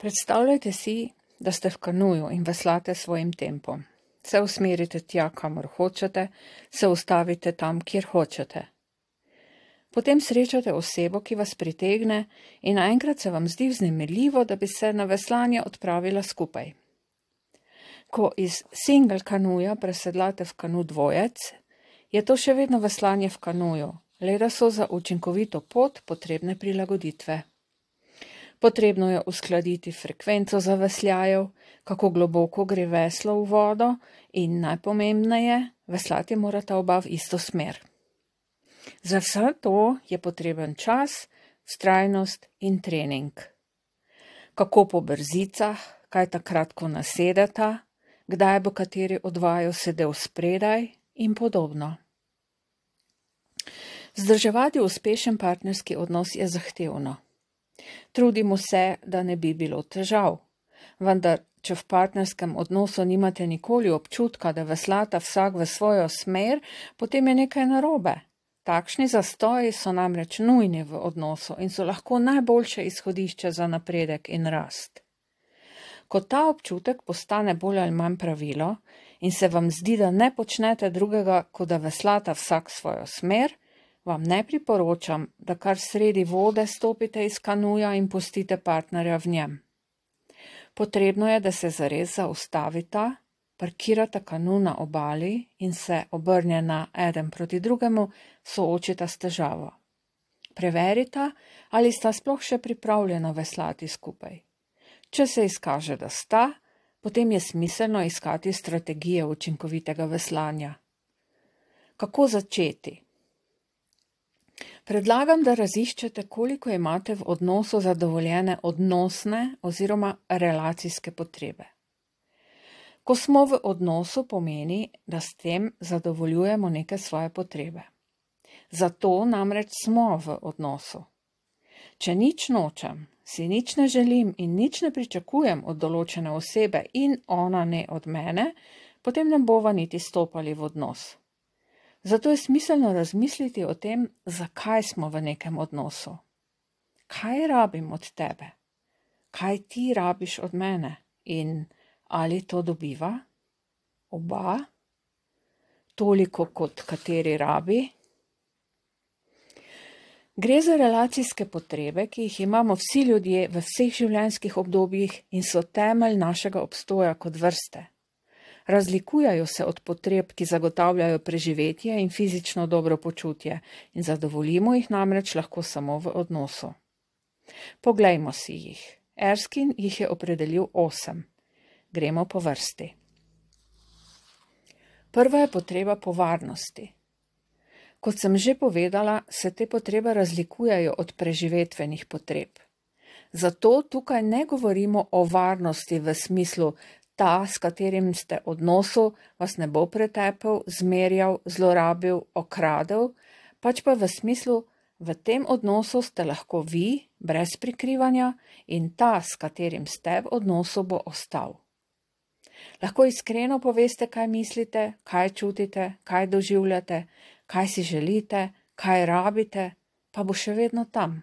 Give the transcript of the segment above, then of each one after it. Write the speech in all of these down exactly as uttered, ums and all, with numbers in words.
Predstavljajte si, da ste v kanuju in veslate svojim tempom. Se usmerite tja, kamor hočete, se ustavite tam, kjer hočete. Potem srečate osebo, ki vas pritegne in naenkrat se vam zdi vznemirljivo, da bi se na veslanje odpravila skupaj. Ko iz single kanuja presedlate v kanu dvojec, je to še vedno veslanje v kanuju, le da so za učinkovito pot potrebne prilagoditve. Potrebno je uskladiti frekvenco zavesljajev, kako globoko gre veslo v vodo in najpomembneje, veslati morata oba v isto smer. Za vse to je potreben čas, vztrajnost in trening. Kako po brzicah, kaj takrat, ko nasedeta, kdaj bo kateri od vaju sedel spredaj in podobno. Vzdrževati uspešen partnerski odnos je zahtevno. Trudimo se, da ne bi bilo težav, vendar, če v partnerskem odnosu nimate nikoli občutka, da veslata vsak v svojo smer, potem je nekaj narobe. Takšni zastoji so namreč nujni v odnosu in so lahko najboljše izhodišče za napredek in rast. Ko ta občutek postane bolj ali manj pravilo in se vam zdi, da ne počnete drugega, kot da veslata vsak svojo smer, vam ne priporočam, da kar sredi vode stopite iz kanuja in pustite partnerja v njem. Potrebno je, da se zares zaustavita, parkirata kanu na obali in se obrnjena eden proti drugemu soočita s težavo. Preverita, ali sta sploh še pripravljena veslati skupaj. Če se izkaže, da sta, potem je smiselno iskati strategije učinkovitega veslanja. Kako začeti? Predlagam, da raziščete, koliko imate v odnosu zadovoljene odnosne oziroma relacijske potrebe. Ko smo v odnosu, pomeni, da s tem zadovoljujemo neke svoje potrebe. Zato namreč smo v odnosu. Če nič nočem, si nič ne želim in nič ne pričakujem od določene osebe in ona ne od mene, potem ne bova niti stopali v odnos. Zato je smiselno razmisliti o tem, zakaj smo v nekem odnosu. Kaj rabim od tebe? Kaj ti rabiš od mene? In ali to dobiva? Oba? Toliko, kot kateri rabi? Gre za relacijske potrebe, ki jih imamo vsi ljudje v vseh življenjskih obdobjih in so temelj našega obstoja kot vrste. Razlikujejo se od potreb, ki zagotavljajo preživetje in fizično dobro počutje in zadovoljimo jih namreč lahko samo v odnosu. Poglejmo si jih. Erskine jih je opredelil osem. Gremo po vrsti. Prva je potreba po varnosti. Kot sem že povedala, se te potrebe razlikujejo od preživetvenih potreb. Zato tukaj ne govorimo o varnosti v smislu ta, s katerim ste v odnosu, vas ne bo pretepel, zmerjal, zlorabil, okradel, pač pa v smislu, v tem odnosu ste lahko vi, brez prikrivanja, in ta, s katerim ste v odnosu, bo ostal. Lahko iskreno poveste, kaj mislite, kaj čutite, kaj doživljate, kaj si želite, kaj rabite, pa bo še vedno tam.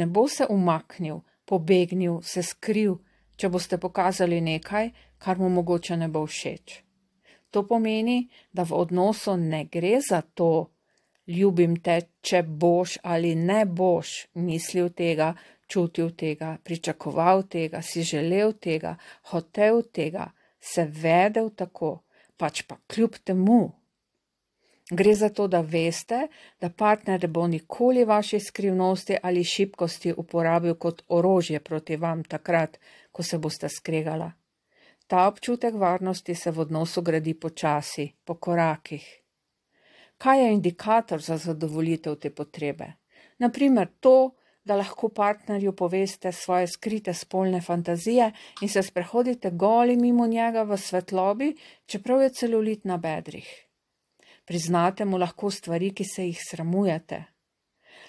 Ne bo se umaknil, pobegnil, se skril, če boste pokazali nekaj, kar mu mogoče ne bo všeč. To pomeni, da v odnosu ne gre za to, ljubim te, če boš ali ne boš mislil tega, čutil tega, pričakoval tega, si želel tega, hotel tega, se vedel tako, pač pa kljub temu. Gre za to, da veste, da partner ne bo nikoli vaše skrivnosti ali šibkosti uporabil kot orožje proti vam takrat, ko se boste skregala. Ta občutek varnosti se v odnosu gradi počasi, po korakih. Kaj je indikator za zadovoljitev te potrebe? Naprimer to, da lahko partnerju poveste svoje skrite spolne fantazije in se sprehodite goli mimo njega v svetlobi, čeprav je celulit na bedrih. Priznate mu lahko stvari, ki se jih sramujete.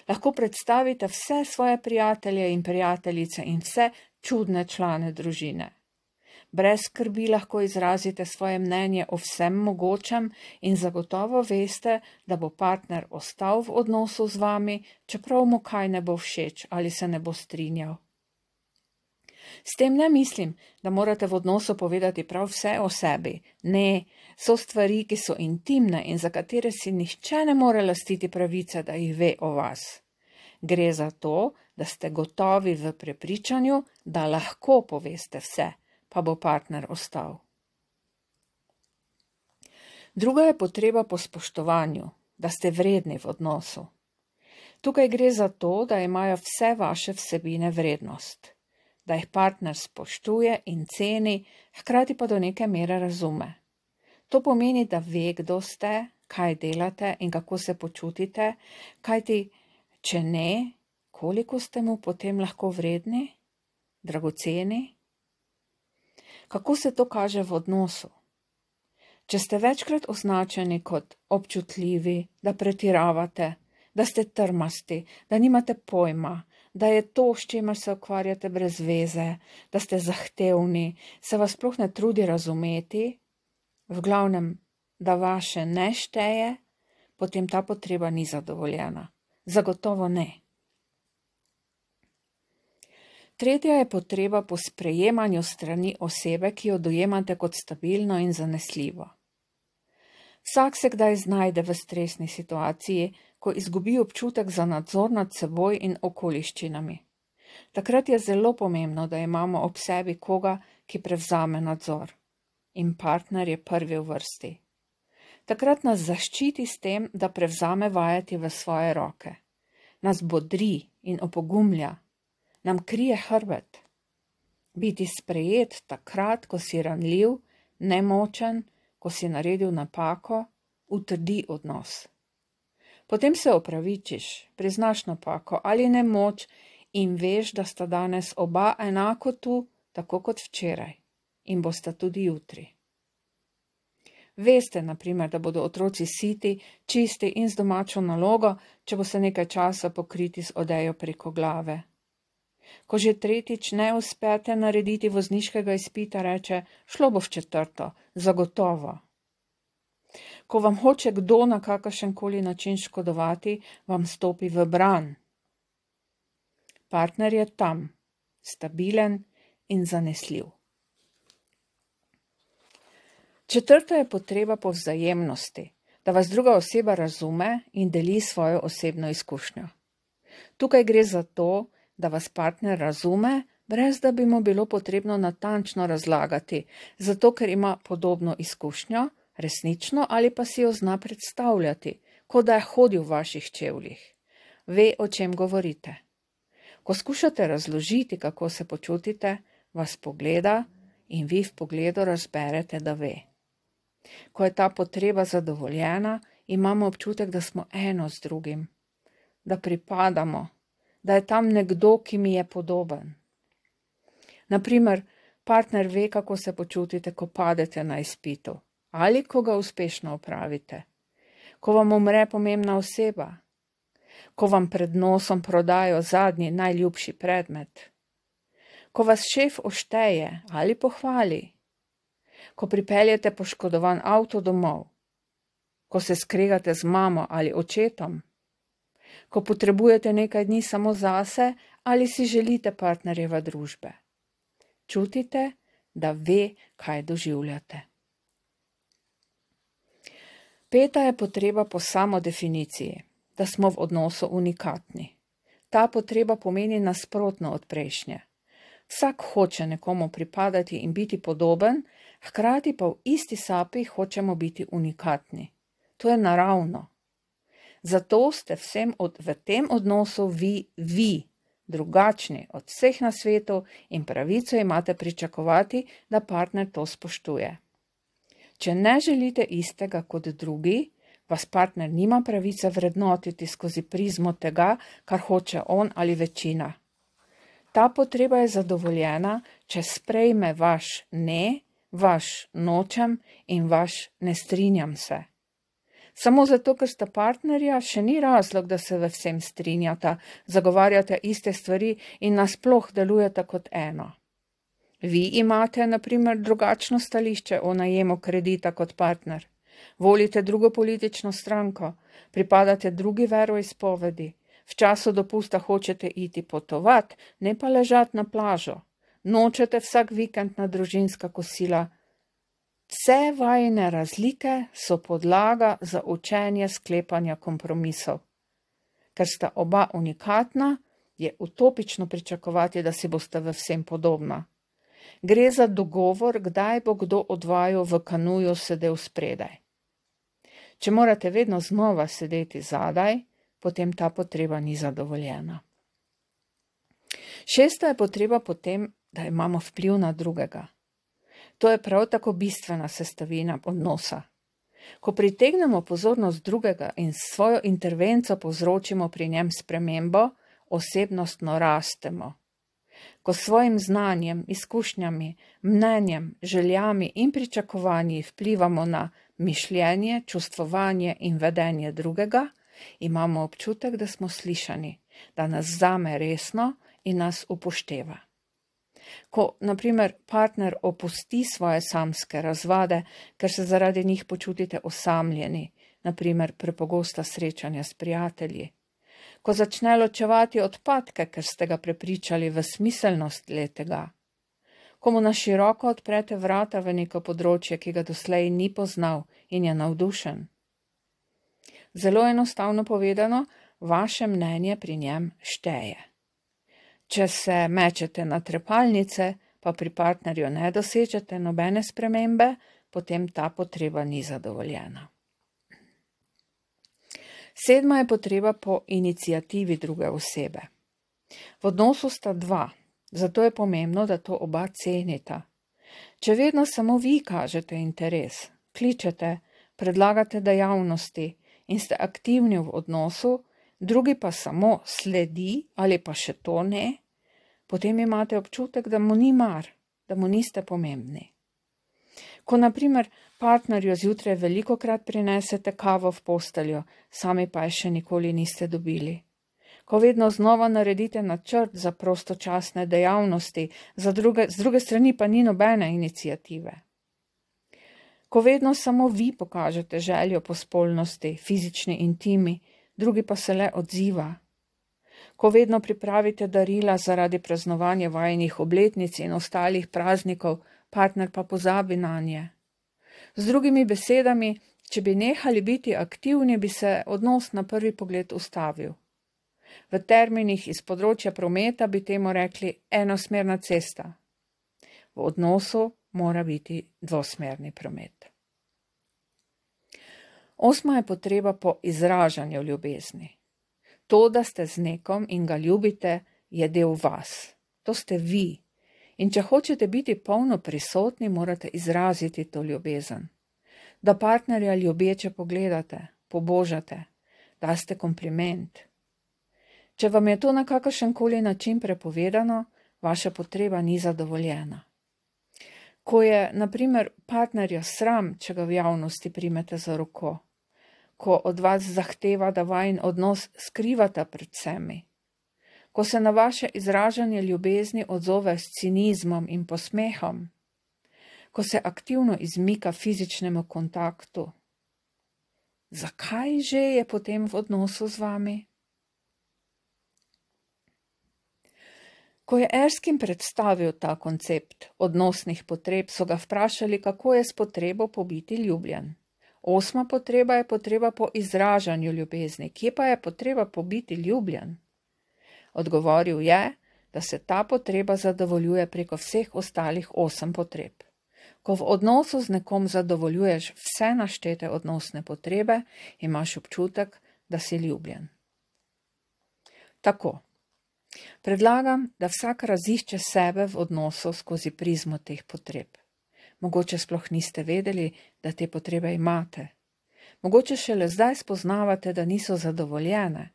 Lahko predstavite vse svoje prijatelje in prijateljice in vse čudne člane družine. Brez skrbi lahko izrazite svoje mnenje o vsem mogočem in zagotovo veste, da bo partner ostal v odnosu z vami, čeprav mu kaj ne bo všeč ali se ne bo strinjal. S tem ne mislim, da morate v odnosu povedati prav vse o sebi. Ne, so stvari, ki so intimne in za katere si nihče ne more lastiti pravice, da jih ve o vas. Gre za to, da ste gotovi v prepričanju, da lahko poveste vse, pa bo partner ostal. Druga je potreba po spoštovanju, da ste vredni v odnosu. Tukaj gre za to, da imajo vse vaše vsebine vrednost, da jih partner spoštuje in ceni, hkrati pa do neke mere razume. To pomeni, da ve, kdo ste, kaj delate in kako se počutite, kajti, če ne, koliko ste mu potem lahko vredni, dragoceni? Kako se to kaže v odnosu? Če ste večkrat označeni kot občutljivi, da pretiravate, da ste trmasti, da nimate pojma, da je to, s čimer se ukvarjate brez veze, da ste zahtevni, se vas sploh ne trudi razumeti, v glavnem, da vaše ne šteje, potem ta potreba ni zadovoljena. Zagotovo ne. Tretja je potreba po sprejemanju strani osebe, ki jo dojemate kot stabilno in zanesljivo. Vsak se kdaj znajde v stresni situaciji, ko izgubi občutek za nadzor nad seboj in okoliščinami. Takrat je zelo pomembno, da imamo ob sebi koga, ki prevzame nadzor. In partner je prvi v vrsti. Takrat nas zaščiti s tem, da prevzame vajeti v svoje roke. Nas bodri in opogumlja. Nam krije hrbet. Biti sprejet takrat, ko si ranljiv, nemočen, ko si naredil napako, utrdi odnos. Potem se opravičiš, priznaš napako ali nemoč in veš, da sta danes oba enako tu, tako kot včeraj, in bosta tudi jutri. Veste, na primer, da bodo otroci siti, čisti in z domačo nalogo, če bo se nekaj časa pokriti z odejo preko glave. Ko že tretjič ne uspete narediti vozniškega izpita, reče, šlo bo v četrto, zagotovo. Ko vam hoče kdo na kakršenkoli način škodovati, vam stopi v bran. Partner je tam, stabilen in zanesljiv. Četrta je potreba po vzajemnosti, da vas druga oseba razume in deli svojo osebno izkušnjo. Tukaj gre za to, da vas partner razume, brez da bi mu bilo potrebno natančno razlagati, zato ker ima podobno izkušnjo, resnično ali pa si jo zna predstavljati, kot da je hodil v vaših čevljih. Ve, o čem govorite. Ko skušate razložiti, kako se počutite, vas pogleda in vi v pogledu razberete, da ve. Ko je ta potreba zadovoljena, imamo občutek, da smo eno z drugim, da pripadamo, da je tam nekdo, ki mi je podoben. Naprimer, partner ve, kako se počutite, ko padete na izpitu, ali ko ga uspešno opravite, ko vam umre pomembna oseba, ko vam pred nosom prodajo zadnji najljubši predmet, ko vas šef ošteje ali pohvali, ko pripeljete poškodovan avto domov, ko se skregate z mamo ali očetom, ko potrebujete nekaj dni samo zase ali si želite partnerjeve družbe. Čutite, da ve, kaj doživljate. Peta je potreba po samodefiniciji, da smo v odnosu unikatni. Ta potreba pomeni nasprotno od prejšnje. Vsak hoče nekomu pripadati in biti podoben, hkrati pa v isti sapi hočemo biti unikatni. To je naravno. Zato ste vsem od, v tem odnosu vi, vi, drugačni od vseh na svetu in pravico imate pričakovati, da partner to spoštuje. Če ne želite istega kot drugi, vas partner nima pravice vrednotiti skozi prizmo tega, kar hoče on ali večina. Ta potreba je zadovoljena, če sprejme vaš ne, vaš nočem in vaš ne strinjam se. Samo zato, ker sta partnerja, še ni razlog, da se v vsem strinjata, zagovarjate iste stvari in nasploh delujete kot eno. Vi imate, na primer, drugačno stališče o najemu kredita kot partner. Volite drugo politično stranko, pripadate drugi veroizpovedi, v času dopusta hočete iti potovat, ne pa ležati na plažo. nočete vsak vikend na družinska kosila. Vse vajine razlike so podlaga za učenje sklepanja kompromisov. Ker sta oba unikatna, je utopično pričakovati, da si boste v vsem podobna. Gre za dogovor, kdaj bo kdo od vaju v kanuju sedel spredaj. Če morate vedno znova sedeti zadaj, potem ta potreba ni zadovoljena. Šesta je potreba potem, da imamo vpliv na drugega. To je prav tako bistvena sestavina odnosa. Ko pritegnemo pozornost drugega in s svojo intervenco povzročimo pri njem spremembo, osebnostno rastemo. Ko s svojim znanjem, izkušnjami, mnenjem, željami in pričakovanji vplivamo na mišljenje, čustvovanje in vedenje drugega, imamo občutek, da smo slišani, da nas vzame resno in nas upošteva. Ko, na primer, partner opusti svoje samske razvade, ker se zaradi njih počutite osamljeni, na primer prepogosta srečanja s prijatelji. Ko začne ločevati odpadke, ker ste ga prepričali v smiselnost letega. Ko mu na široko odprete vrata v neko področje, ki ga doslej ni poznal in je navdušen. Zelo enostavno povedano, vaše mnenje pri njem šteje. Če se mečete na trepalnice, pa pri partnerju ne dosežete nobene spremembe, potem ta potreba ni zadovoljena. Sedma je potreba po iniciativi druge osebe. V odnosu sta dva, zato je pomembno, da to oba cenita. Če vedno samo vi kažete interes, kličete, predlagate dejavnosti in ste aktivni v odnosu, drugi pa samo sledi ali pa še to ne, potem imate občutek, da mu ni mar, da mu niste pomembni. Ko na primer partnerju zjutraj velikokrat prinesete kavo v posteljo, sami pa je še nikoli niste dobili. Ko vedno znova naredite načrt za prostočasne dejavnosti, za druge, z druge strani pa ni nobene iniciative. Ko vedno samo vi pokažete željo po spolnosti, fizični intimi, drugi pa se le odziva. Ko vedno pripravite darila zaradi praznovanja vajinih obletnic in ostalih praznikov, partner pa pozabi nanje. Z drugimi besedami, če bi nehali biti aktivni, bi se odnos na prvi pogled ustavil. V terminih iz področja prometa bi temu rekli enosmerna cesta. V odnosu mora biti dvosmerni promet. Osma je potreba po izražanju ljubezni. To, da ste z nekom in ga ljubite, je del vas. To ste vi. In če hočete biti polno prisotni, morate izraziti to ljubezen. Da partnerja ljubeče pogledate, pobožate, daste kompliment. Če vam je to na kakršenkoli način prepovedano, vaša potreba ni zadovoljena. Ko je, na primer, partnerja sram, če ga v javnosti primete za roko, ko od vas zahteva, da vajin odnos skrivata pred vsemi, ko se na vaše izražanje ljubezni odzove s cinizmom in posmehom, ko se aktivno izmika fizičnemu kontaktu. Zakaj že je potem v odnosu z vami? Ko je Erskine predstavil ta koncept odnosnih potreb, so ga vprašali, kako je s potrebo po biti ljubljen. Osma potreba je potreba po izražanju ljubezni. Kje pa je potreba po biti ljubljen? Odgovoril je, da se ta potreba zadovoljuje preko vseh ostalih osem potreb. Ko v odnosu z nekom zadovoljuješ vse naštete odnosne potrebe, imaš občutek, da si ljubljen. Tako. Predlagam, da vsak razišče sebe v odnosu skozi prizmo teh potreb. Mogoče sploh niste vedeli, da te potrebe imate. Mogoče šele zdaj spoznavate, da niso zadovoljene.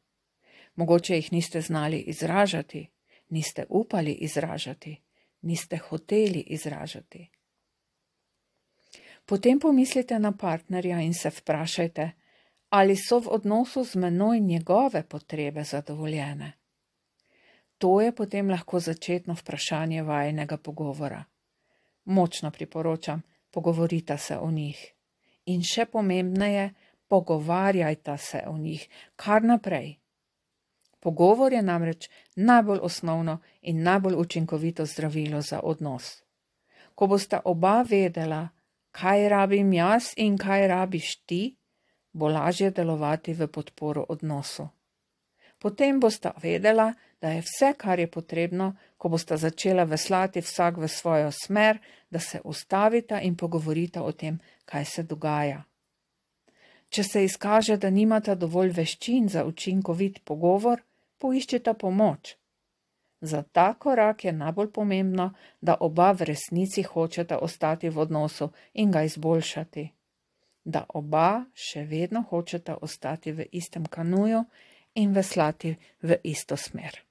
Mogoče jih niste znali izražati, niste upali izražati, niste hoteli izražati. Potem pomislite na partnerja in se vprašajte, ali so v odnosu z menoj njegove potrebe zadovoljene. To je potem lahko začetno vprašanje vajinega pogovora. Močno priporočam, pogovorita se o njih. In še pomembneje, pogovarjajta se o njih kar naprej. Pogovor je namreč najbolj osnovno in najbolj učinkovito zdravilo za odnos. Ko bosta oba vedela, kaj rabim jaz in kaj rabiš ti, bo lažje delovati v podporo odnosu. Potem bosta vedela, da je vse, kar je potrebno, ko bosta začela veslati vsak v svojo smer, da se ustavita in pogovorita o tem, kaj se dogaja. Če se izkaže, da nimata dovolj veščin za učinkovit pogovor, poiščita pomoč. Za ta korak je najbolj pomembno, da oba v resnici hočeta ostati v odnosu in ga izboljšati. Da oba še vedno hočeta ostati v istem kanuju in veslati v isto smer.